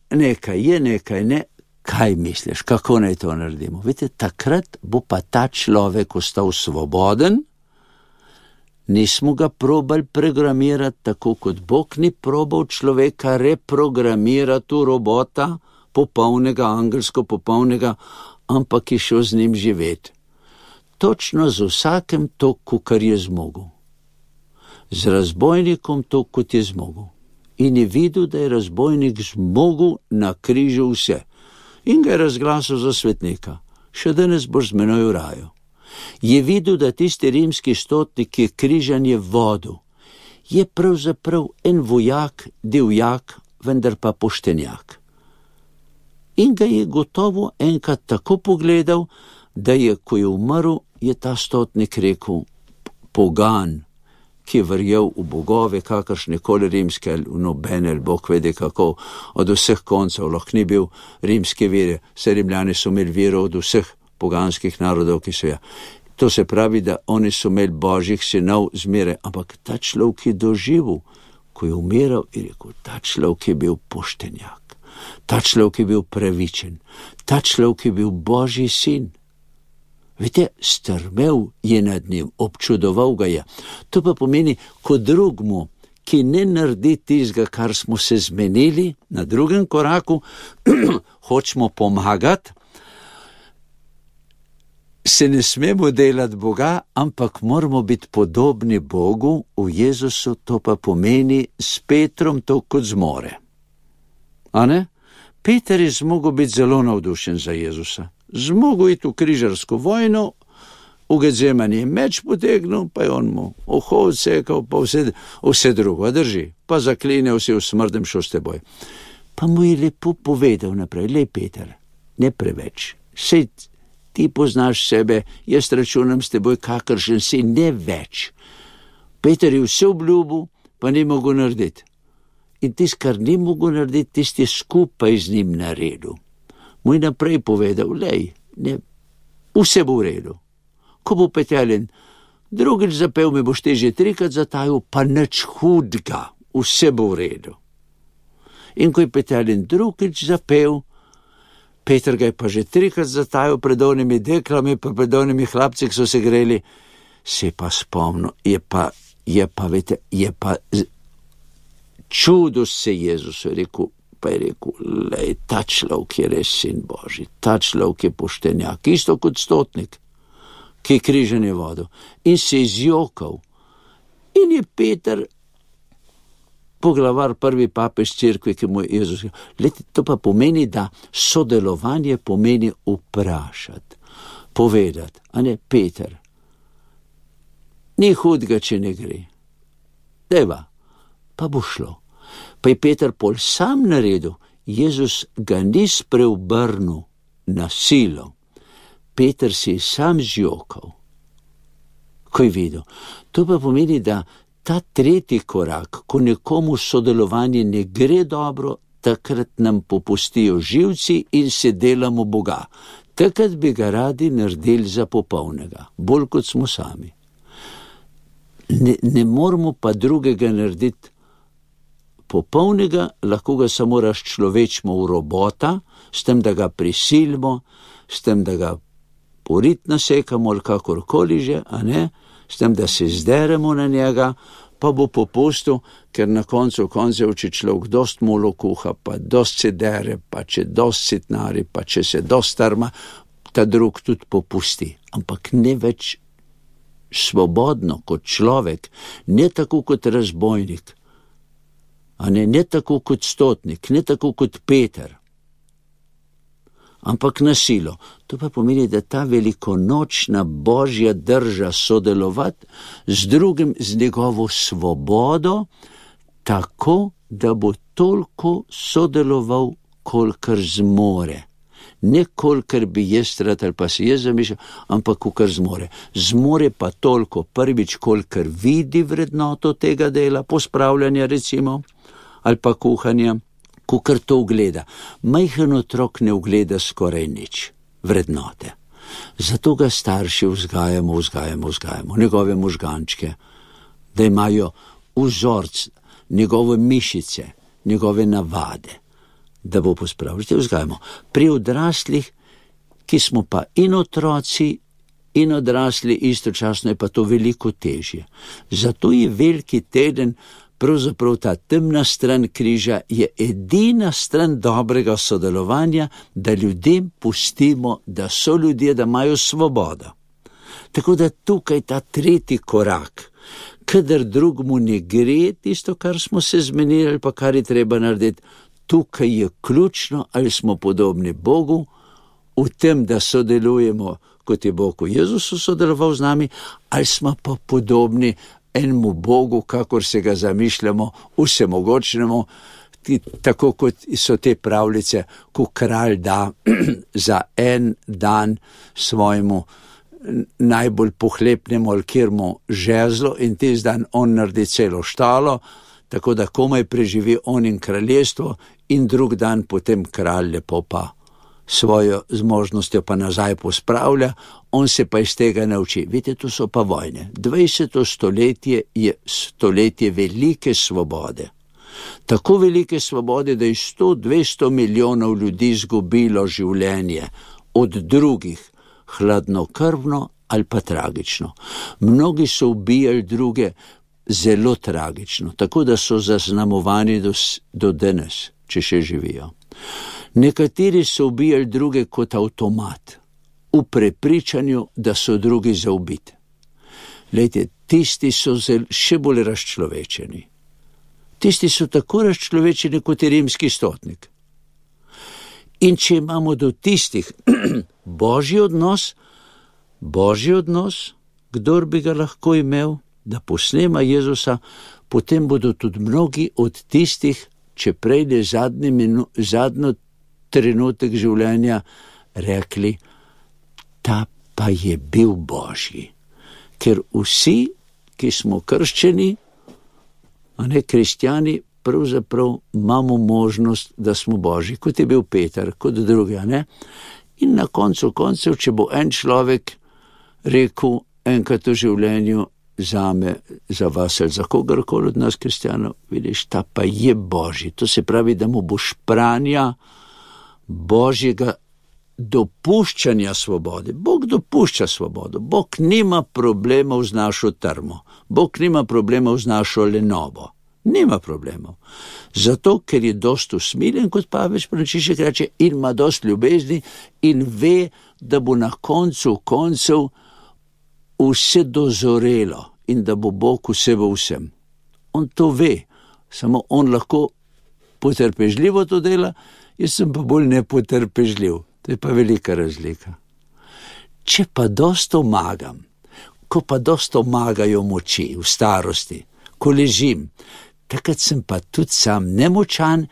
nekaj je, nekaj ne, kaj misliš, kako naj to naredimo? Vidite, takrat bo pa ta človek ostal svoboden, nismo ga probali programirati, tako kot Bog ni probal človeka reprogramirati v robota, popolnega, angelsko popolnega, ampak je šel z njim živeti. Točno z vsakem toku, kar je zmogel. Z razbojnikom to, kot je zmogel. In je videl, da je razbojnik zmogel na križu vse. In ga je razglasil za svetnika. Še danes boš z menoj v raju. Je videl, da tisti rimski stotnik, ki je križanje vodil, je pravzaprav en vojak, divjak, vendar pa poštenjak. In ga je gotovo enkrat tako pogledal, da je, ko je umrl, je ta stotnik rekel, pogan, ki je verjel v bogove, kakršnekoli rimske, ali nobene, ali Bog vede kako, od vseh koncev, lahko ni bil rimske vere, vse Rimljani so imeli vero od vseh poganskih narodov, ki so ja. To se pravi, da oni so imeli božjih sinov zmeraj, ampak ta človek je doživel, ko je umiral, je rekel, ta človek je bil poštenjak, ta človek je bil pravičen, ta človek je bil božji sin. Vidite, strmel je nad njim, občudoval ga je. To pa pomeni, ko drugmu, ki ne naredi tistega, kar smo se zmenili, na drugem koraku, hočemo pomagati, se ne smemo delati Boga, ampak moramo biti podobni Bogu v Jezusu, to pa pomeni s Petrom to kot zmore. A ne? Peter je zmogel biti zelo navdušen za Jezusa. Zmogel iti v križarsko vojno, v Getsemani je meč potegnil, pa je on mu uho odsekal, pa vse drugo, drži, pa zaklinjal si v smrdem šel s teboj. Pa mu je lepo povedal naprej, lej Peter, ne preveč, sej ti poznaš sebe, jaz računam s teboj, kakršen si, ne več. Peter je vse obljubil, pa ni mogel narediti. In tisti, kar ni mogel narediti, tisti je skupaj z njim naredil. Mu je naprej povedal, lej, ne, vse bo v redu. Ko bo Petelin drugič zapel, me boš te že 3krat zatajil, pa nič hudega, vse bo v redu. In ko je Petelin drugič zapel, Peter ga je pa že 3krat zatajil pred onimi deklami, pa pred onimi hlapci, ki so se greli, se pa spomnil, je pa čudo se Jezus, je rekel, Pa je rekel, lej, ta človek je res sin Božji, ta človek je poštenjak, isto kot stotnik, ki je križanje vodil. In se je zjokal. In je Peter, poglavar, prvi papež cerkve, ki mu je Jezus. Lejte, to pa pomeni, da sodelovanje pomeni vprašati, povedati, a ne, Peter, ni hudega, če ne gre. Deva, pa bo šlo. Pa je Peter pol sam naredil, Jezus ga ni spreobrnil na silo. Peter si je sam zjokal, ko je videl. To pa pomeni, da ta tretji korak, ko nekomu sodelovanje ne gre dobro, takrat nam popustijo živci in se delamo Boga. Takrat bi ga radi naredili za popolnega, bolj kot smo sami. Ne moramo pa drugega narediti popolnega, lahko ga samo razčlovečimo v robota, s tem, da ga prisilimo, s tem, da ga porit nasekamo ali kakorkoli že, a ne, s tem, da se zderemo na njega, pa bo popustil, ker na koncu koncev, če človek dost molo kuha, pa dost se dere, pa če dost sitnari, pa če se dost trma, ta drug tudi popusti. Ampak ne več svobodno kot človek, ne tako kot razbojnik, a ne tako kot stotnik, ne tako kot Peter, ampak na silo. To pa pomeni, da ta velikonočna Božja drža sodelovati z drugim, z njegovo svobodo, tako, da bo toliko sodeloval, kolikor zmore. Ne kolikor bi jaz rad ali pa si jaz zamišljal, ampak kolikor zmore. Zmore pa toliko, prvič, kolikor vidi vrednoto tega dela, pospravljanja recimo, ali pa kuhanja, kolikor to ugleda. Majhen otrok ne ugleda skoraj nič vrednote. Zato ga starši vzgajamo, njegove možgančke, da imajo vzorc, njegove mišice, njegove navade, da bo pospravljati, vzgajamo. Pri odraslih, ki smo pa in otroci, in odrasli, istočasno je pa to veliko težje. Zato je veliki teden, pravzaprav ta temna stran križa, je edina stran dobrega sodelovanja, da ljudem pustimo, da so ljudje, da imajo svobodo. Tako da tukaj ta tretji korak, kadar drugmu ne gre tisto, kar smo se zmenili, pa kar je treba narediti, tukaj je ključno, ali smo podobni Bogu, v tem, da sodelujemo, kot je Bog v Jezusu sodeloval z nami, ali smo pa podobni enemu Bogu, kakor se ga zamišljamo, vsemogočnemu, tako kot so te pravljice, ko kralj da za en dan svojemu najbolj pohlepnemu ali kjermu žezlo in tisti dan on naredi celo štalo, tako da komaj preživi on in kraljestvo, in drug dan potem kralj lepo pa svojo zmožnostjo pa nazaj pospravlja, on se pa iz tega nauči. Vidite, to so pa vojne. 20. stoletje je stoletje velike svobode. Tako velike svobode, da je 100-200 milijonov ljudi izgubilo življenje od drugih, hladnokrvno ali pa tragično. Mnogi so ubijali druge zelo tragično, tako da so zaznamovani do danes, če še živijo. Nekateri so ubijali druge kot avtomat, v prepričanju, da so drugi za ubiti. Glejte, tisti so še bolj razčlovečeni. Tisti so tako razčlovečeni kot je rimski stotnik. In če imamo do tistih Božji odnos, kdor bi ga lahko imel, da posnema Jezusa, potem bodo tudi mnogi od tistih, če prejde zadnjo trenutek življenja, rekli, ta pa je bil Božji. Ker vsi, ki smo krščeni, a ne kristjani, pravzaprav imamo možnost, da smo Božji, kot je bil Peter, kot drugi, ne? In na koncu koncev, če bo en človek rekel enkrat v življenju, zame, za vas ali za kogarkoli od nas kristjanov, vidiš, ta pa je Božji. To se pravi, da mu boš pranja Božjega dopuščanja svobode. Bog dopušča svobodo. Bog nima problemov z našo trmo. Bog nima problemov z našo lenobo. Nima problemov. Zato, ker je dost usmiljen, kot Pavež Frančišek reče, in ima dost ljubezni in ve, da bo na koncu koncev vse dozorelo in da bo Bog vse v vsem. On to ve, samo on lahko potrpežljivo to dela, jaz sem pa bolj nepotrpežljiv. To je pa velika razlika. Če pa dost omagam, ko pa dost omagajo moči v starosti, ko ležim, takrat sem pa tudi sam nemočan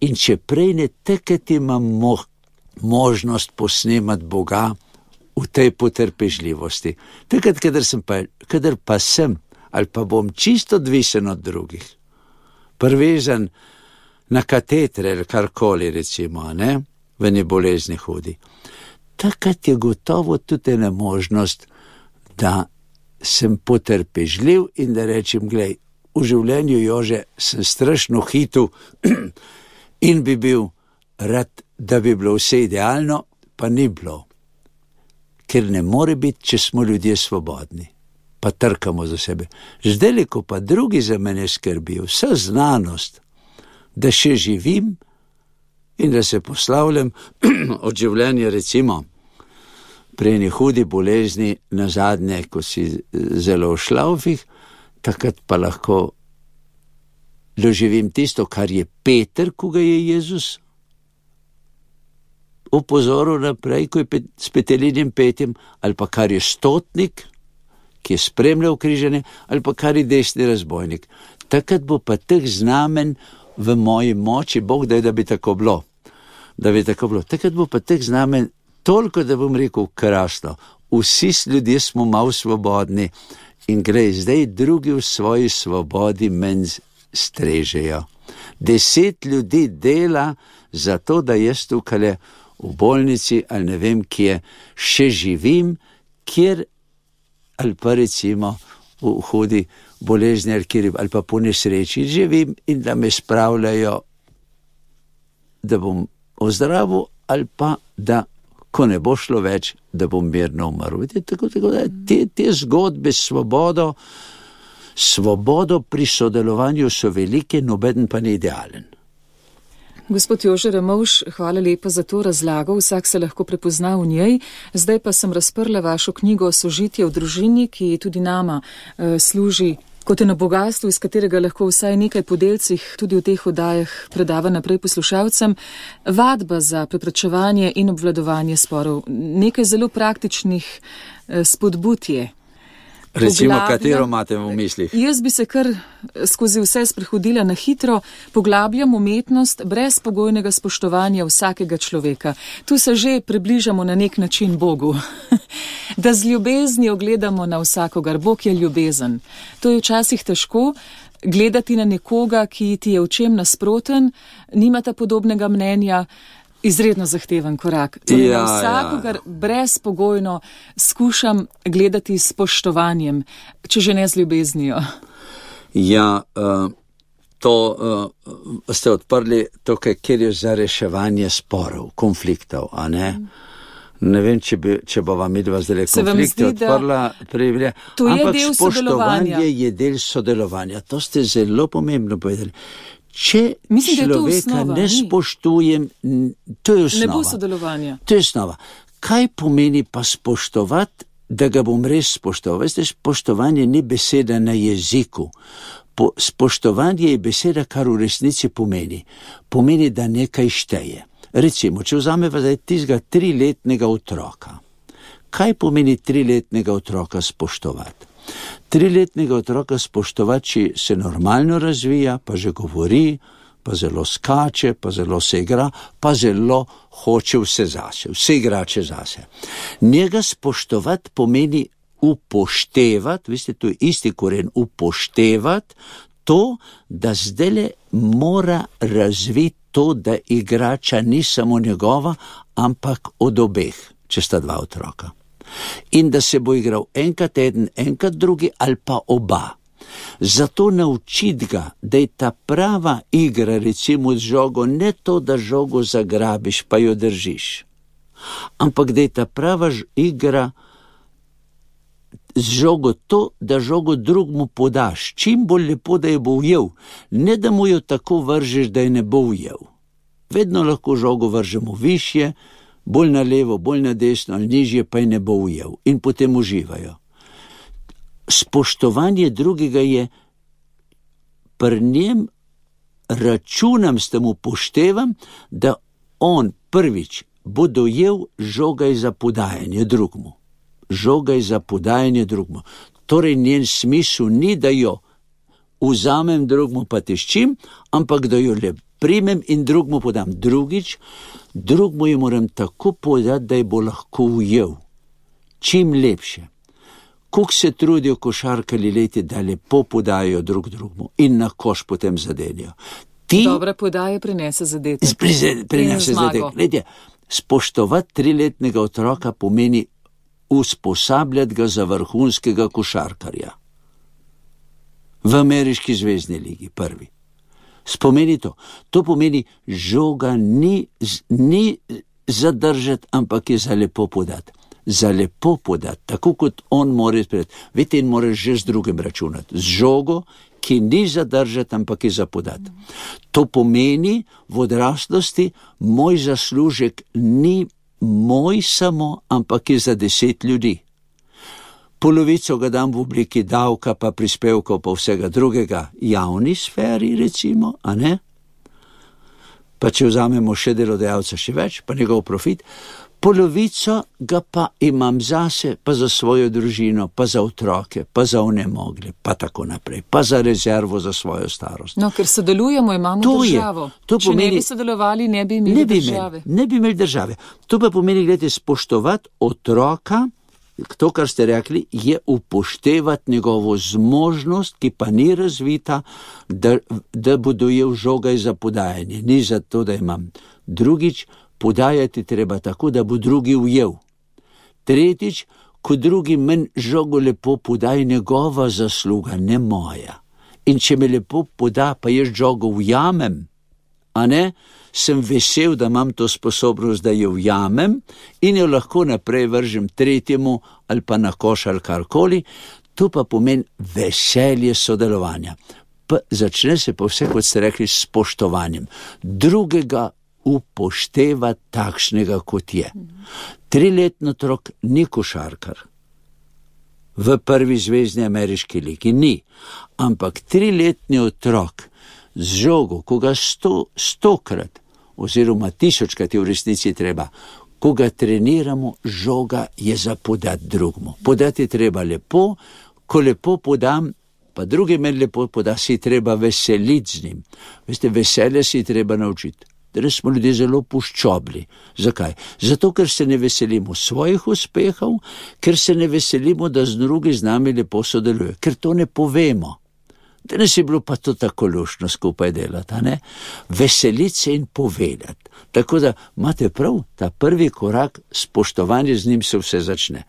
in če prej ne, takrat imam možnost posnemati Boga v tej potrpežljivosti. Takrat, kadar pa sem, ali pa bom čisto odvisen od drugih, privezan na katetre ali karkoli recimo, ne, v eni bolezni hudi. Takrat je gotovo tudi ena možnost, da sem potrpežljiv in da rečem, glej, v življenju, Jože, sem strašno hitel in bi bil rad, da bi bilo vse idealno, pa ni bilo. Ker ne more biti, če smo ljudje svobodni, pa trkamo za sebe. Zdaj, ko pa drugi za mene skrbijo, vsa znanost, da še živim in da se poslavljam od življenja, recimo, pri eni hudi bolezni nazadnje, ko si zelo v šlaufih, takrat pa lahko doživim tisto, kar je Peter, ko ga je Jezus opozoril naprej, ko je s petelinjem petjem, ali pa kar je stotnik, ki je spremljal križanje, ali pa kar je desni razbojnik. Takrat bo pa teh znamen v moji moči, Bog daj, da bi tako bilo. Takrat bo pa teh znamen toliko, da bom rekel krasno. Vsi ljudje smo malo svobodni in gre, zdaj drugi v svoji svobodi menj strežejo. 10 ljudi dela za to, da jaz tukaj v bolnici ali ne vem kje še živim, kjer ali pa recimo v hudi bolezni ali pa po nesreči živim in da me spravljajo, da bom ozdravil ali pa da, ko ne bo šlo več, da bom mirno umrl. Tako da te zgodbe s svobodo pri sodelovanju so velike, nobeden pa ni idealen. Gospod Jože Ramovš, hvala lepa za to razlago, vsak se lahko prepozna v njej. Zdaj pa sem razprla vašo knjigo Sožitje v družini, ki tudi nama služi kot eno bogatstvo, iz katerega lahko vsaj nekaj po delcih tudi v teh oddajah predava naprej poslušalcem. Vadba za preprečevanje in obvladovanje sporov. Nekaj zelo praktičnih spodbud je. Recimo, katero imate v mislih? Jaz bi se kar skozi vse sprehodila na hitro, poglabljam umetnost brezpogojnega spoštovanja vsakega človeka. Tu se že približamo na nek način Bogu. Da z ljubeznijo gledamo na vsakogar. Bog je ljubezen. To je včasih težko gledati na nekoga, ki ti je v čem nasproten, nimata podobnega mnenja. Izredno zahteven korak. Torej, na vsakogar brezpogojno skušam gledati s spoštovanjem, če že ne z ljubeznijo. Ja, to ste odprli tukaj, kjer je za reševanje sporov, konfliktov, a ne? Ne vem, če bo vam midva zdaj konflikte odprla. Ampak spoštovanje je del sodelovanja. To ste zelo pomembno povedali. Če človeka ne spoštujem, to je osnova. Ne bo sodelovanja. To je osnova. Kaj pomeni pa spoštovati, da ga bom res spoštoval? Veste, spoštovanje ni beseda na jeziku. Spoštovanje je beseda, kar v resnici pomeni. Pomeni, da nekaj šteje. Recimo, če vzameva zdaj tistega 3-letnega otroka. Kaj pomeni 3-letnega otroka spoštovati? 3-letnega otroka spoštovati, če se normalno razvija, pa že govori, pa zelo skače, pa zelo se igra, pa zelo hoče vse igrače zase. Njega spoštovati pomeni upoštevati, veste, to je isti koren, upoštevati to, da zdajle mora razviti to, da igrača ni samo njegova, ampak od obeh, če sta dva otroka. In da se bo igral enkrat eden, enkrat drugi ali pa oba. Zato naučiti ga, da je ta prava igra, recimo z žogo, ne to, da žogo zagrabiš pa jo držiš, ampak da je ta prava igra z žogo to, da žogo drugmu podaš, čim bolj lepo, da je bo ujel, ne da mu jo tako vržeš, da je ne bo ujel. Vedno lahko žogo vržemo višje, bolj na levo, bolj na desno ali nižje, pa je ne bo ujel in potem uživajo. Spoštovanje drugega je, pri njem računam, s tem upoštevam, da on prvič bo dojel žogaj za podajanje drugmu. Žogaj za podajanje drugmu. Torej njen smisel ni, da jo vzamem drugmu pa teščim, ampak da jo le primem in drugmu podam. Drugič, drugmu jo moram tako podati, da je bo lahko ujel. Čim lepše. Koliko se trudijo košarkarji leti, da lepo podajo drugmu in na koš potem zadenijo. Dobra podaja prinese zadetek. Prinese zadetek. Letje, spoštovati 3-letnega otroka pomeni usposabljati ga za vrhunskega košarkarja. V ameriški zvezni ligi, prvi. Spomeni to. To pomeni, žoga ni zadržati, ampak je za lepo podati. Za lepo podati, tako kot on more sprejeti. Vete, in moraš že z drugim računati. Z žogo, ki ni zadržati, ampak je za podati. To pomeni v odraslosti, moj zaslužek ni moj samo, ampak je za 10 ljudi. Polovico ga dam v obliki davka, pa prispevkov, pa vsega drugega javni sferi, recimo, a ne? Pa če vzamemo še delodajalca še več, pa njegov profit, polovico ga pa imam zase, pa za svojo družino, pa za otroke, pa za onemogle, pa tako naprej, pa za rezervo za svojo starost. No, ker sodelujemo, imamo državo. Če ne bi sodelovali, ne bi imeli države. Ne bi imeli države. To pa pomeni, gledajte, spoštovati otroka, to, kar ste rekli, je upoštevati njegovo zmožnost, ki pa ni razvita, da bo dojel žogaj za podajanje. Ni za to, da imam. Drugič, podajati treba tako, da bo drugi ujel. Tretjič, ko drugi meni žogo lepo podaj, njegova zasluga, ne moja. In če me lepo poda, pa jaz žogo ujamem, a ne, sem vesel, da imam to sposobnost, da jo ujamem in jo lahko naprej vržem tretjemu ali pa na koš ali karkoli. To pa pomeni veselje sodelovanja. Začne se pa vse, kot ste rekli, s spoštovanjem. Drugega upošteva takšnega, kot je. 3-letni otrok ni košarkar. V prvi zvezni ameriški ligi ni. Ampak 3-letni otrok z žogo, ko ga 100-krat oziroma 1000-krat je v resnici treba, ko ga treniramo, žoga je za podati drugmu. Podati je treba lepo, ko lepo podam, pa drugi meni lepo poda, si treba veseliti z njim. Veste, veselje si treba naučiti. Danes smo ljudje zelo puščobli. Zakaj? Zato, ker se ne veselimo svojih uspehov, ker se ne veselimo, da z drugi z nami lepo sodeluje, ker to ne povemo. Danes je bilo pa to tako luštno skupaj delati, ne? Veseliti se in povedati. Tako da imate prav, ta prvi korak, spoštovanje z njim se vse začne.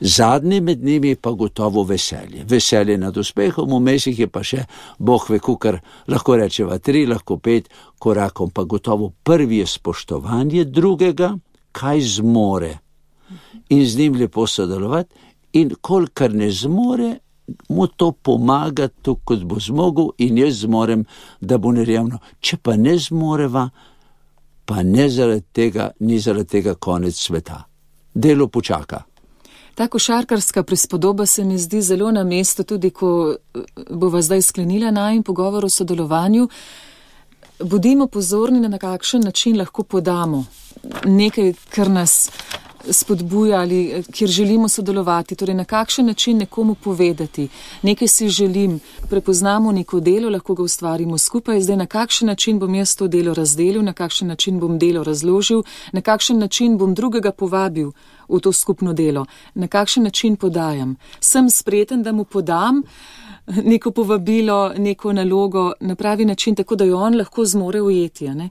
Zadnji med njimi pa gotovo veselje. Veselje nad uspehom, vmes jih je pa še, Bog ve, kukar, lahko rečeva 3, lahko 5 korakom, pa gotovo prvi je spoštovanje drugega, kaj zmore. In z njim lepo sodelovati in kolikor ne zmore, mu to pomaga, to kot bo zmogel in jaz zmorem, da bo nerevno. Če pa ne zmoreva, pa ni zaradi tega konec sveta. Delo počaka. Ta košarkarska prispodoba se mi zdi zelo na mestu, tudi ko bova zdaj sklenila najin pogovor o sodelovanju. Bodimo pozorni, na kakšen način lahko podamo nekaj, kar nas spodbuja ali kjer želimo sodelovati, torej na kakšen način nekomu povedati. Nekaj si želim, prepoznamo neko delo, lahko ga ustvarimo skupaj, zdaj na kakšen način bom jaz to delo razdelil, na kakšen način bom delo razložil, na kakšen način bom drugega povabil v to skupno delo, na kakšen način podajam. Sem spreten, da mu podam neko povabilo, neko nalogo na pravi način, tako da jo on lahko zmore ujeti, ne?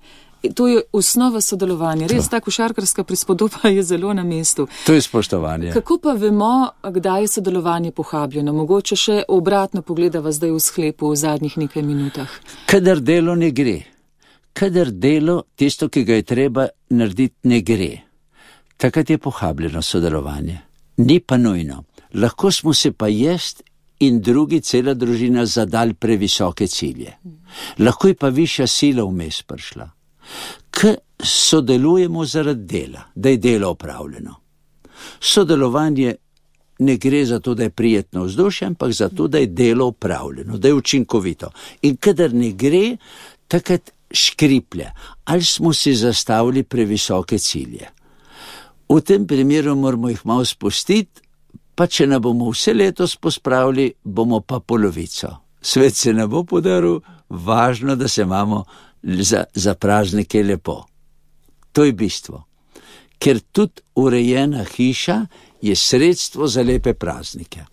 To je osnova sodelovanja. Res, ta košarkarska prispodoba je zelo na mestu. To je spoštovanje. Kako pa vemo, kdaj je sodelovanje pohabljeno? Mogoče še obratno pogledava zdaj v sklepu v zadnjih nekaj minutah. Kadar delo ne gre, kadar delo, tisto, ki ga je treba narediti, ne gre, takrat je pohabljeno sodelovanje. Ni pa nujno. Lahko smo se pa jaz in drugi, cela družina, zadali previsoke cilje. Lahko je pa višja sila vmes prišla. K sodelujemo zaradi dela, da je delo opravljeno. Sodelovanje ne gre za to, da je prijetno vzdušje, ampak za to, da je delo opravljeno, da je učinkovito. In kadar ne gre, takrat škriplje. Ali smo si zastavili previsoke cilje? V tem primeru moramo jih malo spustiti, pa če ne bomo vse letos pospravili, bomo pa polovico. Svet se ne bo podaril, važno, da se imamo za praznike lepo. To je bistvo. Ker tudi urejena hiša je sredstvo za lepe praznike.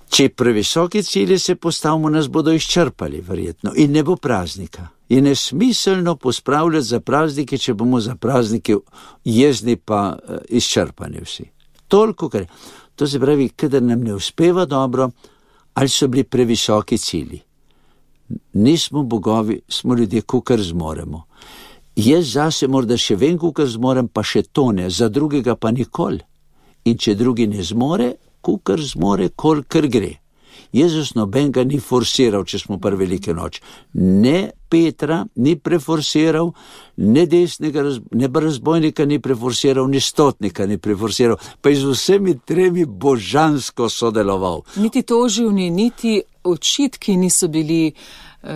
Če previsoke cilje se postavimo, nas bodo izčrpali verjetno in ne bo praznika. Je nesmiselno pospravljati za praznike, če bomo za praznike jezni pa izčrpani vsi. Toliko, kar to se pravi, kadar nam ne uspeva dobro, ali so bili previsoki cilji. Nismo bogovi, smo ljudje, kakor zmoremo. Jaz zase morda še vem, kakor zmorem, pa še to ne, za drugega pa nikoli. In če drugi ne zmore, kakor zmore, kolikor gre. Jezus nobenega ni forsiral, če smo pri velike noč. Ne Petra ni preforsiral, ne desnega, ne razbojnika ni preforsiral, ni stotnika ni preforsiral, pa je z vsemi tremi božansko sodeloval. Niti toživni, niti očitki niso bili.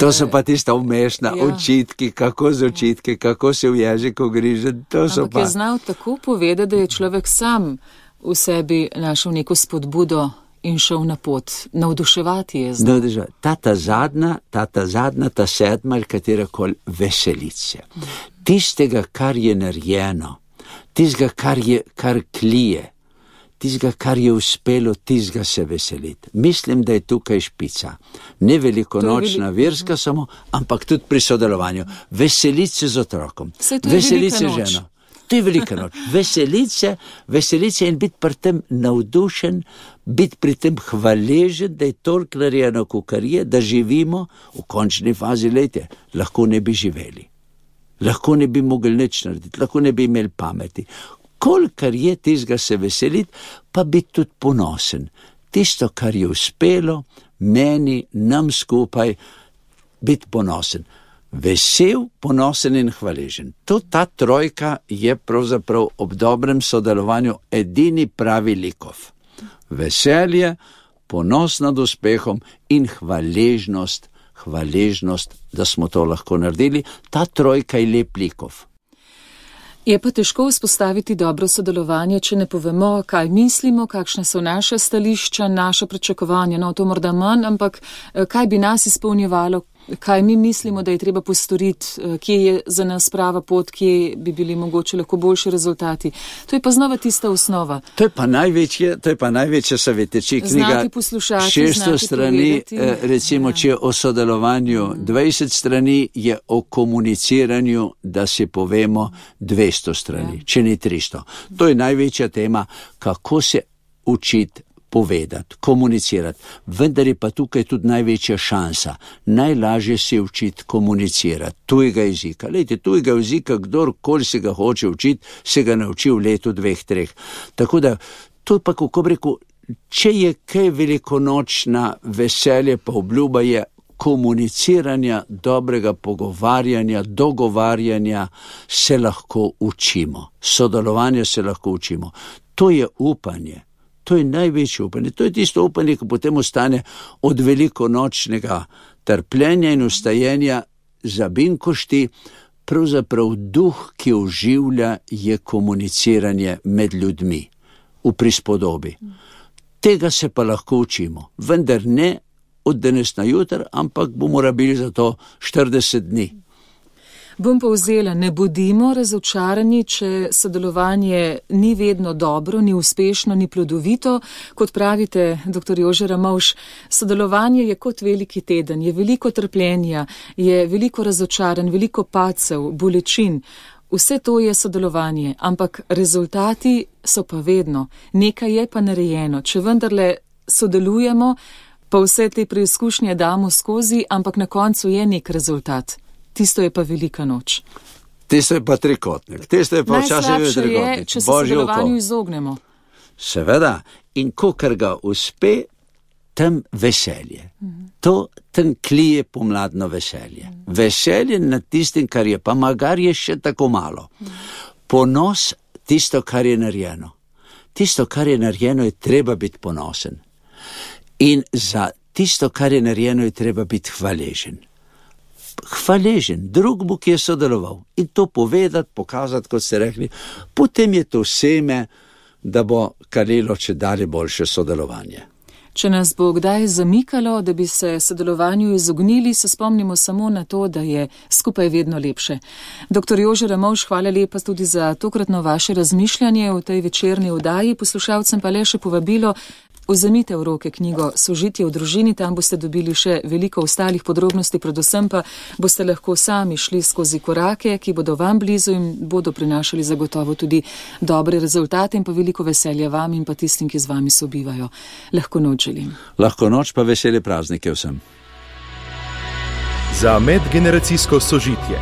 To so pa tista umešna očitki, kako z očitki, kako se v jeziku griže, to so ampak pa. Je znal tako povedati, da je človek sam v sebi našel neko spodbudo in šel na pot. Navduševati je znal. Ta zadnja, ta sedma ali katerakoli veselice. Tistega, kar je narejeno, tistega, kar klije, tistega, kar je uspelo, tistega se veseliti. Mislim, da je tukaj špica. Ne velikonočna, verska samo, ampak tudi pri sodelovanju. Veseliti se z otrokom. Veseliti se ženo. To je velika noč. Veselice in biti pri tem navdušen, biti pri tem hvaležen, da je toliko narejeno, kakor je, da živimo v končni fazi, lejte, lahko ne bi živeli. Lahko ne bi mogli nič narediti, lahko ne bi imeli pameti. Kolikor je tistega se veseliti, pa biti tudi ponosen. Tisto, kar je uspelo, meni, nam skupaj, biti ponosen. Vesel, ponosen in hvaležen. Ta trojka je pravzaprav ob dobrem sodelovanju edini pravi likov. Veselje, ponos nad uspehom in hvaležnost, da smo to lahko naredili. Ta trojka je lep likov. Je pa težko vzpostaviti dobro sodelovanje, če ne povemo, kaj mislimo, kakšne so naše stališča, naše pričakovanja. No, to morda manj, ampak kaj bi nas izpolnjevalo, kaj mi mislimo, da je treba postoriti, kje je za nas prava pot, kje bi bili mogoče lahko boljši rezultati. To je pa znova tista osnova. To je pa največja savjeteči knjiga. 600 strani, recimo, če o sodelovanju 20 strani, je o komuniciranju, da si povemo 200 strani, če ni 300. To je največja tema, kako se učiti povedati, komunicirati. Vendar je pa tukaj tudi največja šansa. Najlažje se učiti komunicirati tujega jezika. Lejte, tujega jezika, kdorkoli se ga hoče učiti, se ga nauči v letu 2-3. Tako da, to je pa, kako bi rekel, če je kaj velikonočna veselje, pa obljuba je komuniciranja, dobrega pogovarjanja, dogovarjanja, se lahko učimo. Sodelovanja se lahko učimo. To je upanje. To je največje upanje. To je tisto upanje, ki potem ostane od velikonočnega trpljenja in ustajenja za binkošti. Pravzaprav duh, ki oživlja, je komuniciranje med ljudmi v prispodobi. Tega se pa lahko učimo, vendar ne od danes na jutr, ampak bomo rabili za to 40 dni. Bom povzela, ne bodimo razočarani, če sodelovanje ni vedno dobro, ni uspešno, ni plodovito. Kot pravite, dr. Jože Ramovš, sodelovanje je kot veliki teden, je veliko trpljenja, je veliko razočaranj, veliko padcev, bolečin. Vse to je sodelovanje, ampak rezultati so pa vedno. Nekaj je pa narejeno. Če vendarle sodelujemo, pa vse te preizkušnje damo skozi, ampak na koncu je nek rezultat. Tisto je pa velika noč. Tisto je pa trikotnik. Tisto je pa včasih trikotnik. Najslabše je, če se sodelovanju izognemo. Seveda, in kokar ga uspe, tam veselje. To tam klije pomladno veselje. Veselje nad tistim, kar je, pa magar je še tako malo. Ponos tisto, kar je narejeno. Tisto, kar je narejeno, je treba biti ponosen. In za tisto, kar je narejeno, je treba biti hvaležen. Hvaležen drugemu, ki je sodeloval. In to povedati, pokazati, kot ste rekli, potem je to seme, da bo kalilo če dalje boljše sodelovanje. Če nas bo kdaj zamikalo, da bi se sodelovanju izognili, se spomnimo samo na to, da je skupaj vedno lepše. Dr. Jože Ramovš, hvala lepa tudi za tokratno vaše razmišljanje v tej večerni oddaji. Poslušalcem pa le še povabilo, vzemite v roke knjigo Sožitje v družini, tam boste dobili še veliko ostalih podrobnosti, predvsem pa boste lahko sami šli skozi korake, ki bodo vam blizu in bodo prinašali zagotovo tudi dobre rezultate in pa veliko veselja vam in pa tistim, ki z vami sobivajo. Lahko noč želim. Lahko noč pa vesele praznike vsem. Za medgeneracijsko sožitje.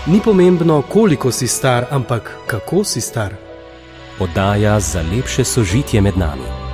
Ni pomembno, koliko si star, ampak kako si star. Oddaja za lepše sožitje med nami.